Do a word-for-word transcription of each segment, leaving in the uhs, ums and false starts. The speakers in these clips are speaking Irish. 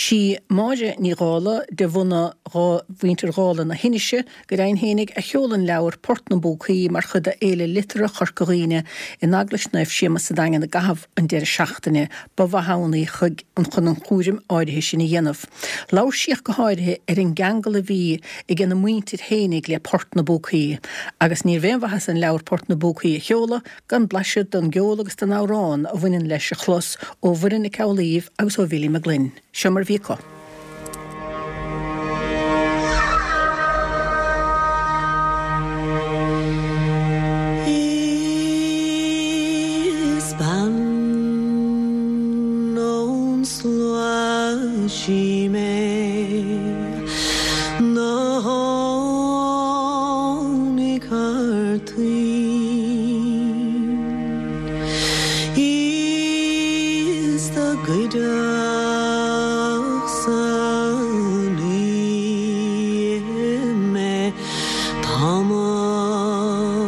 Sí Máire Ní Dhálaigh de bhunadh mhuintir Dhálaigh na hInise go deimhin fhéinig a sheol an leabhar Port na bPúcaí mar chuid de Fhéile Liteartha Chorca Dhuibhne in Eaglais Naomh Séamus sa Daingean i gcaitheamh an deireadh seachtaine ba mhaith ann í chuig an chun an chúram áirithe sin a dhéanamh. Labhair sí ach go háirithe ar an gceangal a bhí ag a muintir fhéinig le Port na bPúcaí, agus níorbh aon mhaitheas an leabhar Port na bPúcaí a sheoladh gan blaiseadh den gceol agus den amhrán a bhaineann leis a chlos ó Mhuireann Nic Amhlaoibh agus ó Bhilly Mac Gloinn. Seo mar bhí acu. Is bean ón slua sí mé ná tháinig thar toinn Is dá gcuideodh san oíche mé tamall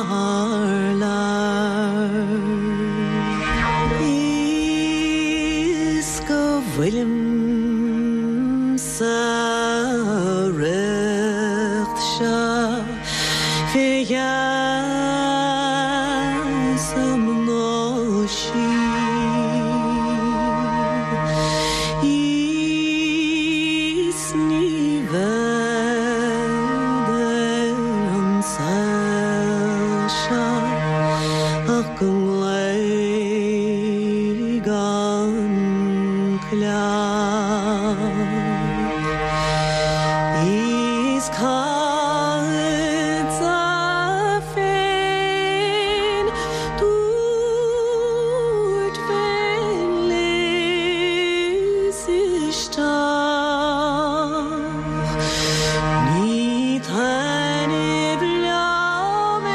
thar lear. Is go bhfuilim sa riocht seo fé gheasa mná sí. Is ní bhead ar an saol seo ach go nglaoigh an coileach. Is caithfeadsa féin dúirt féin lios isteach. Ní taitneamh liom é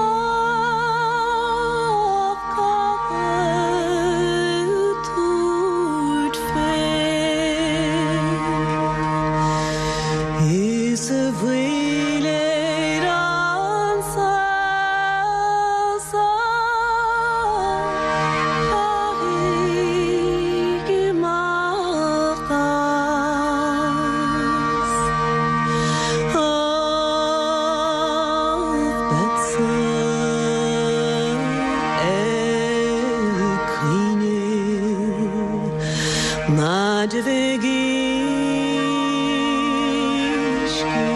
ach caithfead tabhairt féin. Is a bhfuil ar an saol seo caithfidh imeacht as. Ach beadsa ag caoineadh ná de bheith uisce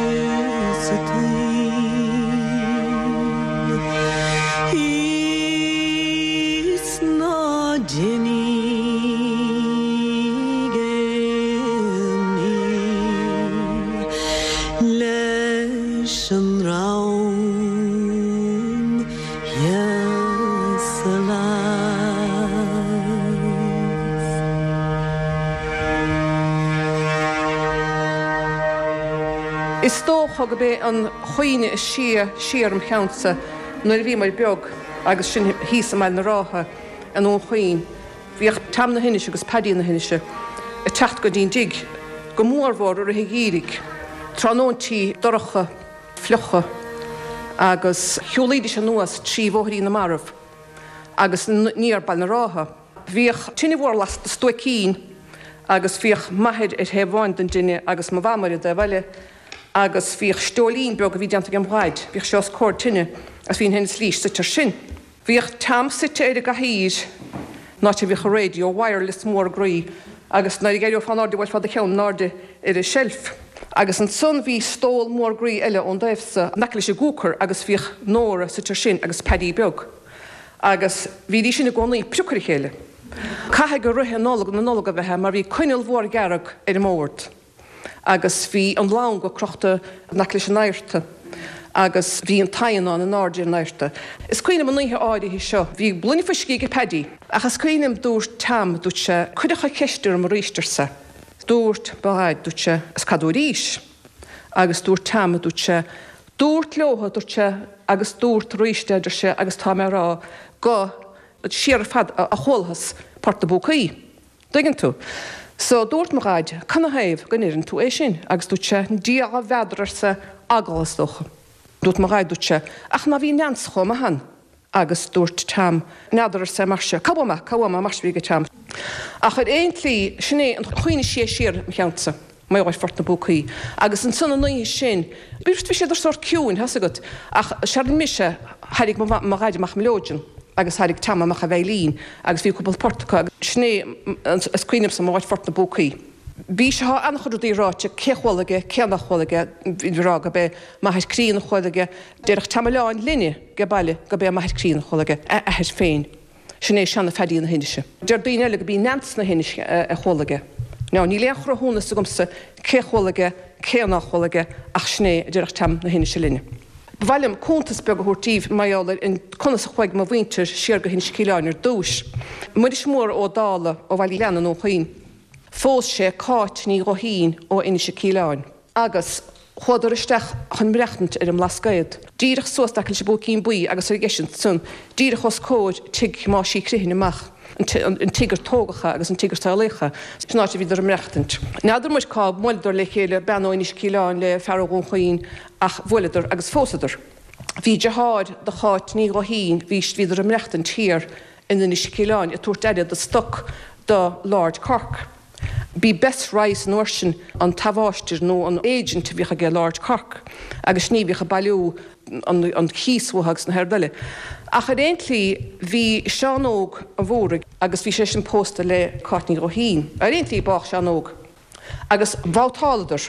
sa taoille. Is ná déanaigh aon ní leis an ndream thíos sa lios. Is dócha gurb é an chuimhne is sia siar im cheannsa nuair a bhíomar beag agus sin thíos i mBaile na Rátha i nDún Chaoin. Bhíodh Tom na hInise agus Paddy na hInise ag teacht go dtí'n dtigh go mórmhór i rith an gheimhridh. Tráthnóintí dorcha fliucha agus shiúlaidís anuas trí Bhóithrín na Marbh agus aniar Baile na Rátha. Bhíodh tine mhór lasta stuaicín agus bhíodh m'athair ar thaobh amháin den tine agus mo mham ar an dtaobh eile agus bhíodh steoilín beag a bhí déanta ag an Dhaid, bhíodh sé os comhair tine agus bhí an tine slís suite air sin. Bhíodh Tom suite ar an gcathaoir an áit a bhíodh an radio wireless mór groí agus nuair a d'éireofá in airde bhuailfeá do cheann in airde ar an tseilf. Agus ansan bhí stól mór groí eile ón dtaobh sa in aice leis an gcooker agus bhíodh Nóra suite air sin agus Paddy beag. Agus bhídís sin i gcónaí priocadh ar a chéile. Caithfidh gur rith Nollag na Nollag a bheith mar bhí coinneal mhór dhearg ar an mbord. Agus bhí an lanca crochta in aice leis an adharta. Agus bhí an t-adhnán in airde ar an adharta. Is cuimhin liom an oíche áirithe seo, bhí gloine fuiscí ag Paddy, ach is cuimhin liom dúirt Tom, dúirt sé, cuireadh an cheist orm arís arsa. Dúirt mo Dhaid, dúirt sé, is cad arís? Agus dúirt Tom, dúirt sé, dúirt leotha, dúirt sé, agus dúirt arís é, deir sé, agus tá mé ag rá go siar ar fad a chualathas Port na bPúcaí. Tuigeann tú? So dúirt mo Dhaid, canathaobh go ndeireann tú é sin? Agus dúirt sé, Dia n'fheadar arsa, eagla is dócha. Dúirt mo Dhaid, dúirt sé, ach ná bhí Neans chomh maith ann. Agus dúirt Tom, n'fheadar arsa, mar se, cá bhfuair mé, cá bhfuair mé, mar se bhí ag Tom. Ach ar aon tslí, sin é an chuimhne is sia siar im cheannsa, mar gheall ar Phort na bPúcaí. Agus ansan an oíche sin, bhí bhí siad ar sórt ciúin, thá's agat, ach séard mise, thairrig mo mo dhaid amach an mileoidean agus thairrig Tom amach a veidhlín agus bhí cúpla port acu agus sin é is cuimhin liomsa mar gheall ar Phort na bPúcaí. Bhí sé, tá an-chuid rudaí ráite, cé chuala aige, cé nach chuala aige, bhí rá go b'é m'athair críonna a chuala aige, déarfadh Tom Oileáin linne age baile go b'é m'athair críonna a chuala aige, a athair féin. Sin é seana Phaddy na hInise. Deir daoine eile go b'í Neans na hInise a chuala aige. Now níl aon chruthúnas agamsa cé chuala aige, cé nach chuala aige, ach sin é a déarfadh Tom na hInise linne. Ba mhaith liom cuntas beag a thabhairt daoibh mar gheall ar conas a chuaigh mo mhuintir siar go hInis Cíleáin ar dtúis. Muiris Mór Ó Dála ó Bhaile Ghleanna i nDún Chaoin. Phós sé Cáit Ní Ghuithín ó Inis Cíleáin. Agus chuadar isteach chun maireachtaint ar an mBlascaod, díreach suas in aice leis an bPúicín Buí agus ar dheis ansan, díreach os comhair tigh Thomáis Uí Chriomhthain amach. an tigh ar tógadh é agus an tigh ar saolaíodh é, sin áit a bhíodar ag maireachtaint. N'fheadar muid cá mbuaileadar le chéile, bean ó Inis Cíleáin le fear ó Dhún Chaoin, ach bhuaileadar agus phósadar. Bhí deartháir do Cháit Ní Ghuithín, bhí, bhíodar ag maireachtaint thiar in Inis Cíleáin ag tabhairt aire do stoc do Lord Cork. B'í Bess Rice an uair sin an t-amháistir nó an agent a bhíodh aige Lord Cork agus sin í a bhíodh ag bailiú an chíos uathu agus na haird eile. Ach ar aon tslí bhí Seán Óg an Mhóraigh agus bhí seisean pósta le Cáit Ní Ghuithín. Ar aon tslí bádh Seán Óg agus bhabhtáladar.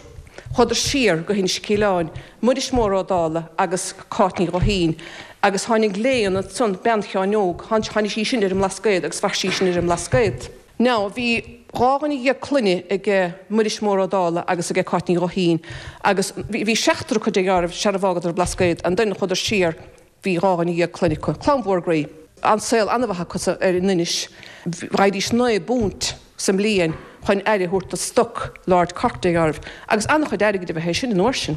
Chuadar siar go hInis Cíleáin, Muiris Mór Ó Dála agus Cáit Ní Ghuithín agus tháinig Léan ansan, bean Sheáin Óg, tháinig sí sin ar an mBlascaod agus mhair sí sin ar an mBlascaod. Now, bhí dhá dhuine dhéag clainne aige Muiris Mór Ó Dála agus aige Cáit Ní Ghuithín agus bhí seachtar acu de dhearbh sara bhfágadar an Blascaod, and then chuadar siar, bhí dhá dhuine dhéag clainne acu. Clann mhór groí. An saol an-mhaith acu ar an Inis. Bhfaighidís naoi bpunt sa mbliain chun aire a thabhairt do stoc Lord Cork de dhearbh, agus an-chuid airgid a bheadh é sin an uair sin.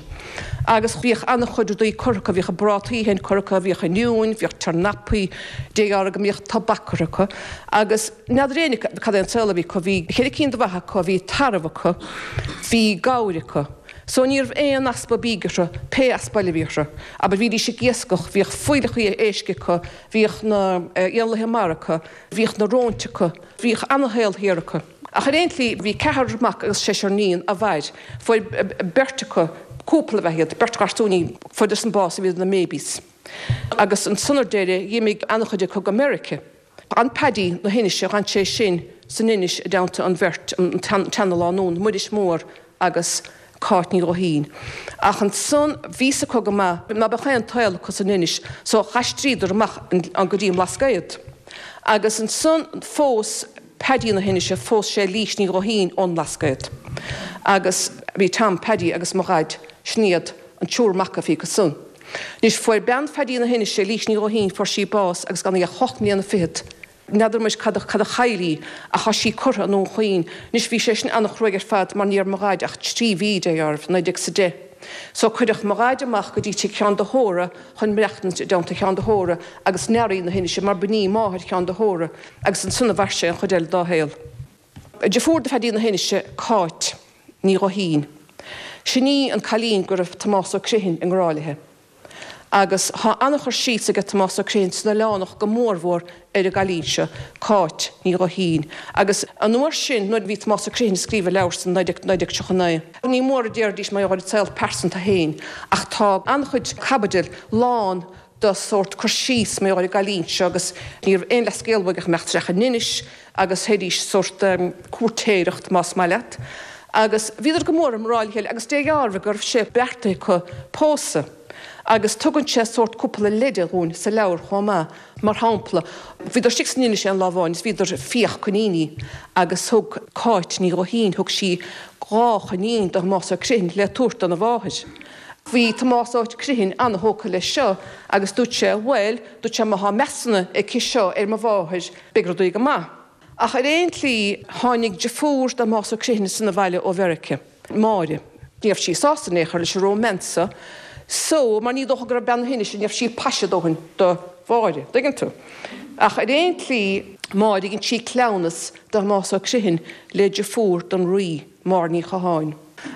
Agus bhíodh an-chuid rudaí curtha acu, bhíodh a bprátaí féin curtha acu, bhíodh oinniúin, bhíodh tornapaí, de dhearbh go mbíodh tobac curtha acu. Agus n'fheadar éinne cad é an saol a bhí acu, bhí ceithre cinn de bheithe acu, bhí tarbh acu, bhí gabhair acu. So ní raibh aon easpa bídh orthu, pé easpa eile a bhí orthu. Abair bhídís ag iascach, bhíodh fuílleachaí éisc acu, bhíodh na éanlaithe mara acu, bhíodh na róin acu, bhíodh ana-shaol thiar acu. Ach ar aon tslí, bhí ceathrar mac agus seisear níon a mhair. Fuair beirt acu, cúpla ab ea iad, beirt gharsúinín, fuaireadar-san bás a bhíodar ina mbabies. Agus ansan ar deireadh, dh'imigh ana-chuid acu go Meirice. An Paddy na hInise, d'fhan sé sin san Inis i dteannta an bheirt, an tseana-lánúin, Muiris Mór agus Cáit Ní Ghuithín. Ach ansan bhí's acu go maith ná beadh aon tsaol acu san Inis so d'aistríodar amach go dtí an mBlascaod. Agus ansan phós Paddy na hInise, phós sé Lís Ní Ghuithín ón mBlascaod. Agus bhí Tom, Paddy agus mo dhaid, sin iad an triúr mac a bhí acu san. Anois fuair bean Phaddy na hInise, Lís Ní Ghuithín, fuair sí bás agus gan í ach ocht mbliana fichead. N'fheadar muid cad a chaill í ach tá sí curtha i nDún Chaoin. Anois bhí sé sin an-chruaidh ar fad mar ní raibh mo dhaid ach trí mhí de dhearbh, naoi déag is a deich. So cuireadh mo dhaid amach go dtí tigh Sheáin de hÓra chun maireachtaint i dteannta Sheáin de hÓra agus Nearaí na hInise mar b'in í máthair Sheáin de hÓra agus ansan a mhair sé an chuid eile dá shaol. Deirfiúr de Phaddy na hInise, Cáit Ní Ghuithín. Sin í an cailín go raibh Tomás Ó Criomhthain i ngrá léi. Agus tá an-chur síos aige Tomás Ó Criomhthain san Oileánach go mórmhór ar an gcailín seo, Cáit Ní Ghuithín. Agus an uair sin, nuair a bhí Tomás Ó Criomhthain ag scríobh a leabhair san naoi déag tríocha a naoi, ní mór a déarfaidís mar gheall ar a saol pearsanta féin, ach tá an-chuid caibidil lán de sórt cur síos mar gheall ar an gcailín seo agus ní raibh aon leathscéal uaidh ach imeacht isteach in Inis agus théidís sórt cúirtéireacht más maith leat. Agus bhíodar go mór i ngrá le chéile agus dealraíonn go raibh sé beartaithe acu pósadh. Agus tugann sé sórt cúpla leide dhúinn sa leabhar chomh maith. Mar shampla, bhíodar istigh san Inis aon lá amháin is bhíodar ag fiach coiníní agus thug Cáit Ní Ghuithín, thug sí dhá choinín do Thomás Ó Criomhthain le tabhairt dona mháthair. Bhí Tomás Ó Criomhthain an-thógtha leis seo agus dúirt sé, bhuel, dúirt sé, má thá meas aici seo ar mo mháthair, beidh rudaí go maith. Ach ar aon tslí, tháinig deirfiúr de Thomás Ó Criomhthain san abhaile ó Mheirice, Máire. Ní raibh sí sásta in aon chor leis an romance so, mar ní dócha go raibh bean na hInise, ní raibh sí paise dóthain do Mháire, dtuigeann tú. Ach ar aon tslí, Máire, dhein sí cleamhnas de Thomás Ó Criomhthain le deirfiúr don Rí, Máire Ní Chatháin.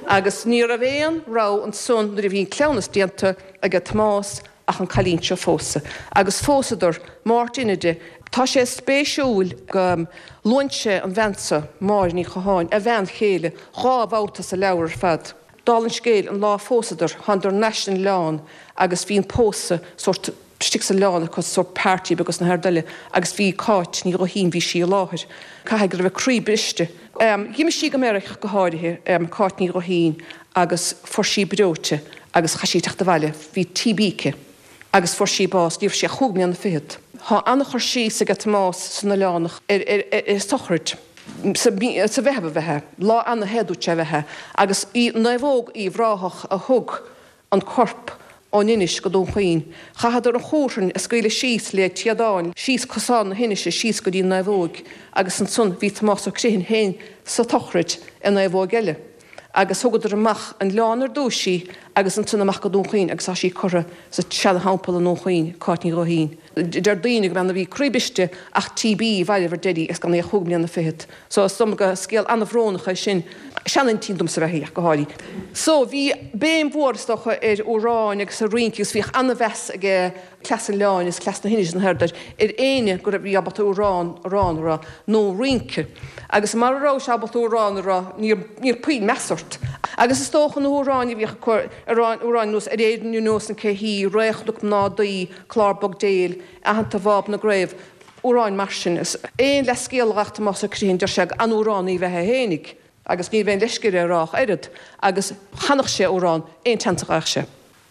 Agus ní raibh aon rogha ansan nuair a bhí an cleamhnas déanta aige Tomás ach an cailín seo a phósadh. Agus phósadar Máirt Inide. Tá sé spéisiúil go luann sé an bhean seo, Máire Ní Chatháin, a bhean chéile, dhá bhabhta sa leabhar ar fad. Dála an scéil, an lá a phósadar, thánadar thar n-ais san oileán agus bhí an pósadh sórt istigh san oileán acu, sórt party beag agus na haird eile, agus bhí Cáit Ní Ghuithín, bhí sí i láthair. Caithfidh go raibh a croí briste. D'imigh sí go Meiriceá go háirithe, Cáit Ní Ghuithín, agus fuair sí breoite agus chaith sí teacht abhaile, bhí T B aici agus fuair sí bás, ní raibh sí ach cúig mbliana fichead. Tá an-chur síos aige Tomás san Oileánach ar ar sochraid sa Mheitheamh a bheith, lá ana-the dúirt sé a bheith, agus í Naomhóg Uíbh Ráthach a thug an corp ón Inis go Dún Chaoin. Chaitheadar an chumhrainn a scaoileadh síos le téadáin síos cosán na hInise síos go dtí an naomhóig agus ansan bhí Tomás Ó Criomhthain féin sa tsochraid i naomhóig eile agus thugadar amach an oileán ar dtúis í agus ansan amach go Dún Chaoin agus tá sí curtha sa tseana-theampall i nDún Chaoin, Cáit Ní Ghuithín. Deir daoine go mbean a bhí croí briste ach T B a mhairbh ar deiridh agus gan í ach chúig mbliana fichead. So is dóigh liom gur scéal an-bhrónach é sin. Seanaintín domsa ab ea í ach go háirithe. So bhí béim mhór is dócha ar amhráin agus ar rince agus bhíodh an-mheas aige cleas an oileáin is cleas na hInise na hAird ar éinne go raibh bhí ábalta amhrán amhrán a rá nó rince. Agus mara raibh sé ábalta amhrán a rá níor níor puinn meas ort. Agus is dócha na hamhráin a bhíodh acu amhráin nós Ar Éirinn ar nós an cé hí, Ré Chnoc Mná Daoi, Clár Bog Béil, Aitheanta Bháb na gCraobh, amhráin mar sin. Is aon leathscéal a ghabh Tomás Ó Criomhthain, deir sé gur an-amhránaí ab ea é fhéinig agus ní bheinn leisce air a rá ach oiread, agus chanadh sé amhrán aon tseans a gheibheadh sé.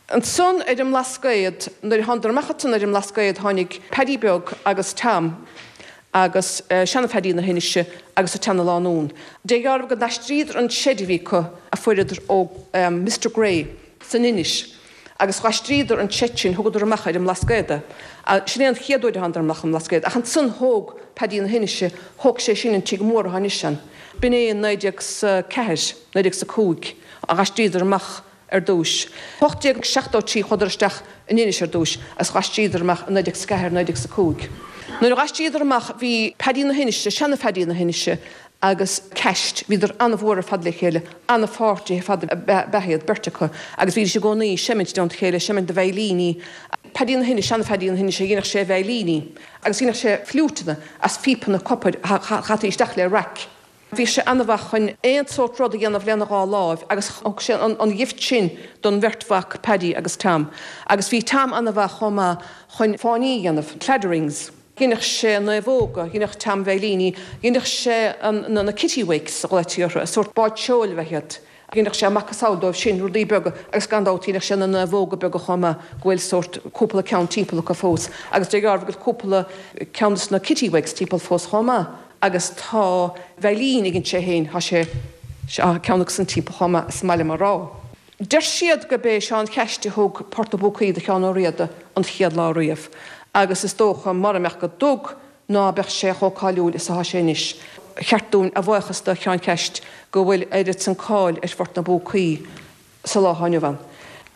Ansan ar an mBlascaod, nuair a thánadar amach ansan ar an mBlascaod tháinig Paddy Beag agus Tom agus seana-Phaddy na hInise agus an tseana-lánúin. Dé dhearbh go n-aistríodar an seid a bhí acu a fuaireadar ó Mister Gray san Inis agus d'aistríodar an seid sin, thugadar amach ar an mBlascaod é. Sin é an chéad uair a thánadar amach an mBlascaod. Ach ansan thóg Paddy na hInise, thóg sé sin an tigh mór atá anois ann. B'in é in naoi déag 's a ceathair, naoi déag 's a cúig a d'aistríodar amach ar dtúis. Ocht déag seachtó trí chuadar isteach in Inis ar dtúis agus d'aistríodar amach i naoi déag 's a ceathair, naoi déag 's a cúig. Nuair a d'aistríodar amach bhí Paddy na hInise, seana-Phaddy na hInise agus Ceaist, bhíodar an-mhór ar fad le chéile, an-pháirtithe ar fad ab ea iad, beirt acu, agus bhídís i gcónaí ag seimint i dteannta a chéile, seimint na veidhlíní. Paddy na hInise, seana-Phaddy na hInise, dhéanadh sé veidhlíní agus dhéanadh sé fliúiteanna as phíopanna copair a chaití isteach le raic. Bhí sé an-mhaith chun aon sórt rud a dhéanamh lena dhá láimh agus thug sé an ghift sin don bheirt mhac, Paddy agus Tom. Agus bhí Tom an-mhaith chomh maith chun fáinní a dhéanamh, cladderings. Dheineadh sé naomhóga, dheineadh Tom veidhlíní, dheineadh sé na kittiwakes a ghlaoití orthu, sórt báid seoil ab ea iad. Dheineadh sé macasamhail dóibh sin, rudaí beaga, agus gan dabht dheineadh sé na naomhóga beaga chomh maith, go bhfuil sórt cúpla ceann timpeall acu fós. Agus de dhearbh go bhfuil cúpla ceann de na kittiwakes timpeall fós chomh maith. Agus tá veidhlín a dhein sé féin, tá sé, tá ceann acu san timpeall chomh maith, is maith liom a rá. Deir siad gurb é Seán Cheaist a thug Port na bPúcaí do Sheán Ó Riada an chéad lá riamh, agus is dócha mura mbeadh go dtug ná beadh sé chomh cáiliúil is atá sé anois. Cheart dúinn a bhuíochas do Sheán Cheaist go bhfuil oiread san cáil ar Phort na bPúcaí sa lá atá inniu ann.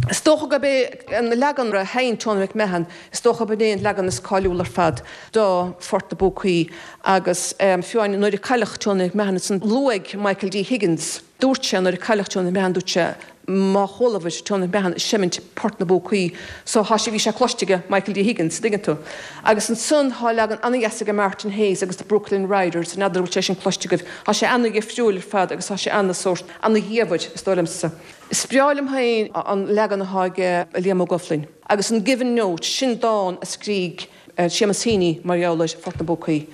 Is dócha gurb é an leagan a sheinn Tony McMahon, is dócha gurb é an leagan is cáiliúla ar fad do Phort na bPúcaí agus fiú amháin nuair a cailleadh Tony McMahon ansan luaigh Michael D Higgins, dúirt sé nuair a cailleadh Tony McMahon, dúirt sé má chualabhair Tony McMahon ag seimint Port na bPúcaí so thá sé, bhí sé cloiste aige Michael D Higgins, dtuigeann tú. Agus ansan thá leagan ana-dheas aige Martin Hayes agus the Brooklyn Riders, n'fheadar an bhfuil sé sin cloiste agaibh, thá sé ana-dhifriúil ar fad agus thá sé ana-sórt, ana-dhiamhair is dóigh liomsa. Is breá liom féin an leagan atá aige Liam Ó Goflainn. Agus an Given Note, sin dán a scrígh Séamus Heaney mar gheall ar Phort na bPúcaí.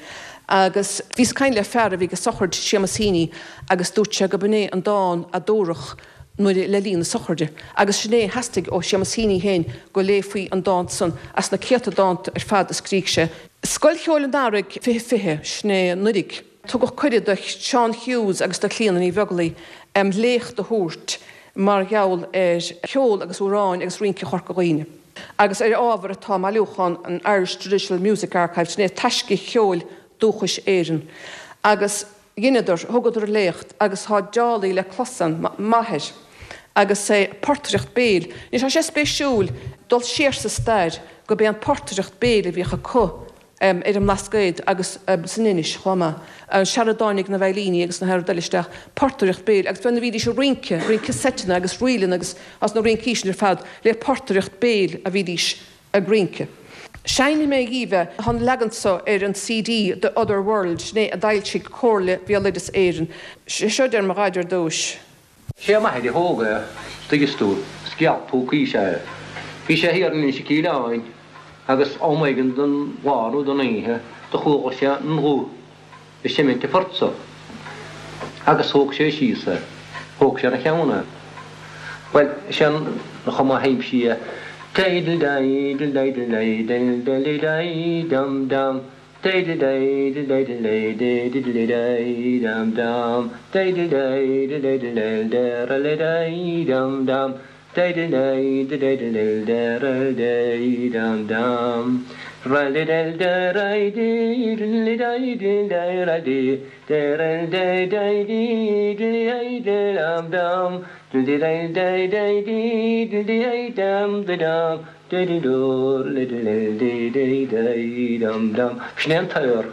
Agus bhíos ag caint le fear a bhí ag sochraid Séamus Heaney agus dúirt sé go b'in é an dán a dúradh nuair le linn na sochraide. Agus sin é a theastaigh ó Séamus Heaney féin go léifí an dán san as na céadta dánta ar fad a scrígh sé. Scoil Cheoil an Earraigh fiche fiche, sin é anuraidh. Tugadh cuireadh do Seán Hughes agus do Chlíona Ní Bheaglaoi léacht a thabhairt mar gheall ar cheol agus amhráin agus rince Chorca Dhuibhne agus ar ábhar atá i mbailiúchán an Irish Traditional Music Archive, sin é Taisce Cheoil Dúchais Éireann. Agus dheineadar, thugadar léacht agus tá dálaí le clos ann, m'athair agus é portaireacht béil. Anois tá sé spéisiúil dul siar sa stair gurb é an portaireacht béil a bhíodh acu ar an mBlascaod agus san Inis chomh maith. Sara dtáinig na veidhlíní agus na haird eile isteach, portaireacht béil agus nuair a bhídís ag rince, rince seiteanna agus ríleanna agus as na rincí sin ar fad le portaireacht béil a bhídís ag rince. Seinnfidh mé dhaoibh é, tá an leagan seo ar an C D The Other World, sin é a d'fhoilsigh Comhairle Bhéaloideas Éireann. Seo deir mo dhaid ar dtúis. Sé m'athair a thóg é, tuigeann tú, sceall púcaí is ea é. Bhí sé thiar in Inse Cíleáin agus am éigin den lá nó den oíche do chuala sé an ghuth ag seimint an phoirt so agus thóg sé síos é, thóg sé ina cheann é. Bhuel, sin an chuma a sheinn sí é. Diddle-diddle-diddle-diddle-diddle-dum-dum, diddle-diddle-diddle-diddle-diddle-dum-dum, diddle-diddle-diddle-diddle-dum-dum, diddle-diddle-diddle-diddle-dum-dum, ra-diddle-di-diddle-diddle-di-diddle-di, diddle-di-diddle-dum-dum, diddle-di-di-diddle-dum-dum, diddle-diddle-di-di-dum-dum. Sin é an t-aor.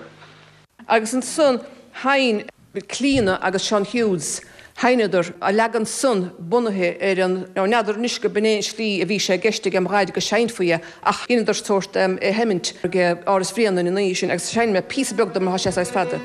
Agus ansan sheinn Clíona agus Seán Hughes, sheinneadar a leagan san bunaithe ar an, n'fheadar anois go b'in é an slí a bhí sé i gceist ag mo dhaid go seinnfí é, ach dheineadar sórt é sheimint ag Áras Bhréanainn an oíche sin agus seinnfidh mé píosa beag de mar tá sé saghas fada.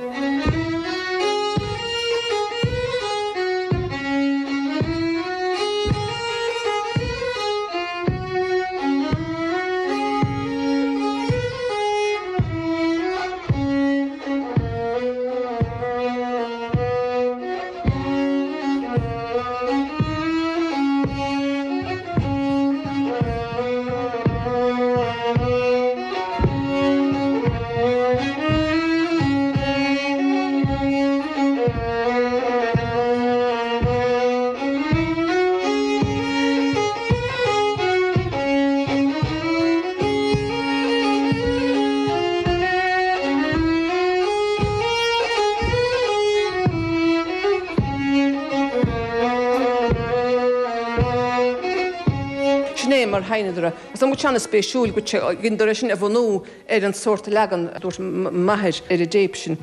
Sin é mar sheinneadar é. Is an an-spéisiúil go dheineadar é sin a bhunú ar an sórt leagan a dúirt m'athair ar an dtéip sin.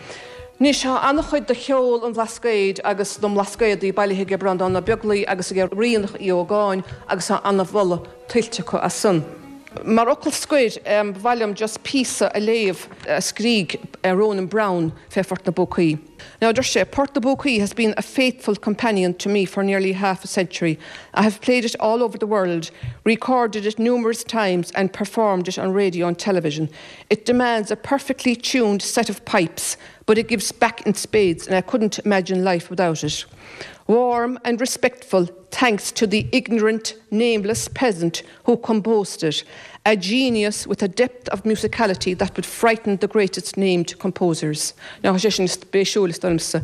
Anois tá an-chuid de cheol an Bhlascaoid agus na mBlascaodaí bailithe ag Breandán Ó Beaglaoi agus ag Ríonach Uí Ógáin agus tá an-mholadh tuillte acu as san. Mar fhocal scoir, ba mhaith liom just píosa a léamh a scrígh Ronan Browne fé Phort na bPúcaí. Now deir sé, Port na bPúcaí has been a faithful companion to me for nearly half a century. I have played it all over the world, recorded it numerous times and performed it on radio and television. It demands a perfectly tuned set of pipes, but it gives back in spades and I couldn't imagine life without it. Warm and respectful thanks to the ignorant, nameless peasant who composed it, a genius with a depth of musicality that would frighten the greatest named composers. Now sé sin spéisiúil is dóigh liomsa.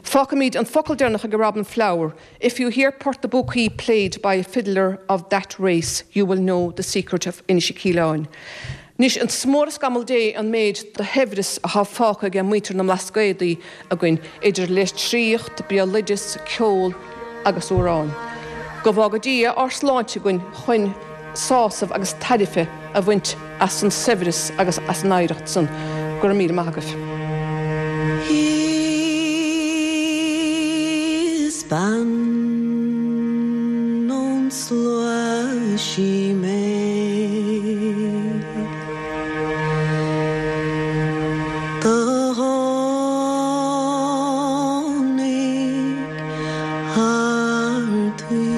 Fágfaimid an focal deireanach ag Robin Flower. If you hear Port na bPúcaí played by a fiddler of that race, you will know the secret of Inishikeelown. Anois an mór is scamall Dé an méid de shaibhreas atá fágtha ag muintir na mBlascaodaí againn idir litríocht, béaloideas, ceol agus amhráin. Go bhfága Dia ár sláinte againn chun sásamh agus tairbhe a bhaint as an saibhreas agus as an oidhreacht san. Go raibh míle maith agaibh. Is bean ón slua sí mé Do tháinig thar tuí.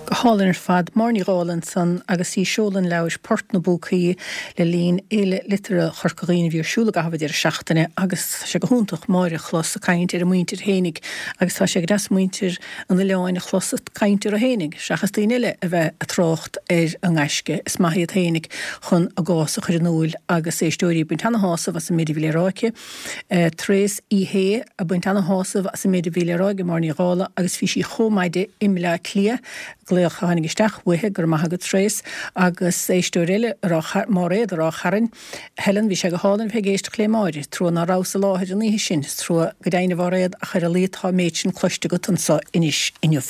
Go hálainn ar fad Máire Ní Dhálaigh ansan agus í ag seoladh an leabhair Port na bPúcaí le linn Fhéile Liteartha Chorca Dhuibhne a bhí ar siúl i gcaitheamh deireadh seachtaine agus tá sé go hiontach Máire a chlos ag caint ar a muintir fhéinig agus tá sé go deas muintir an oileáin a chlos ag caint ar a fhéinig seachas daoine eile a bheith ag trácht ar a ngaisce is maith iad fhéinig chun a gcás a chur in iúl agus éisteoirí ag baint ana-shásamh as an méid a bhí le rá aici. Tréas Uí Shé ag baint ana-shásamh as an méid a bhí le rá ag Máire Ní Dhálaigh agus bhí sí chomh maide i mBleá Cliath glaoch a tháinig isteach uaithi go raibh maith agat Tréas agus éisteoir eile Máiréad Ráth Chairn Helen bhí sé go hálainn bheith ag éisteacht le Máire trua ná rabhas i láthair an oíche sin trua go deimhin a Mháiréad ach ar a laghad tá an méid sin cloiste agat anseo anois inniu.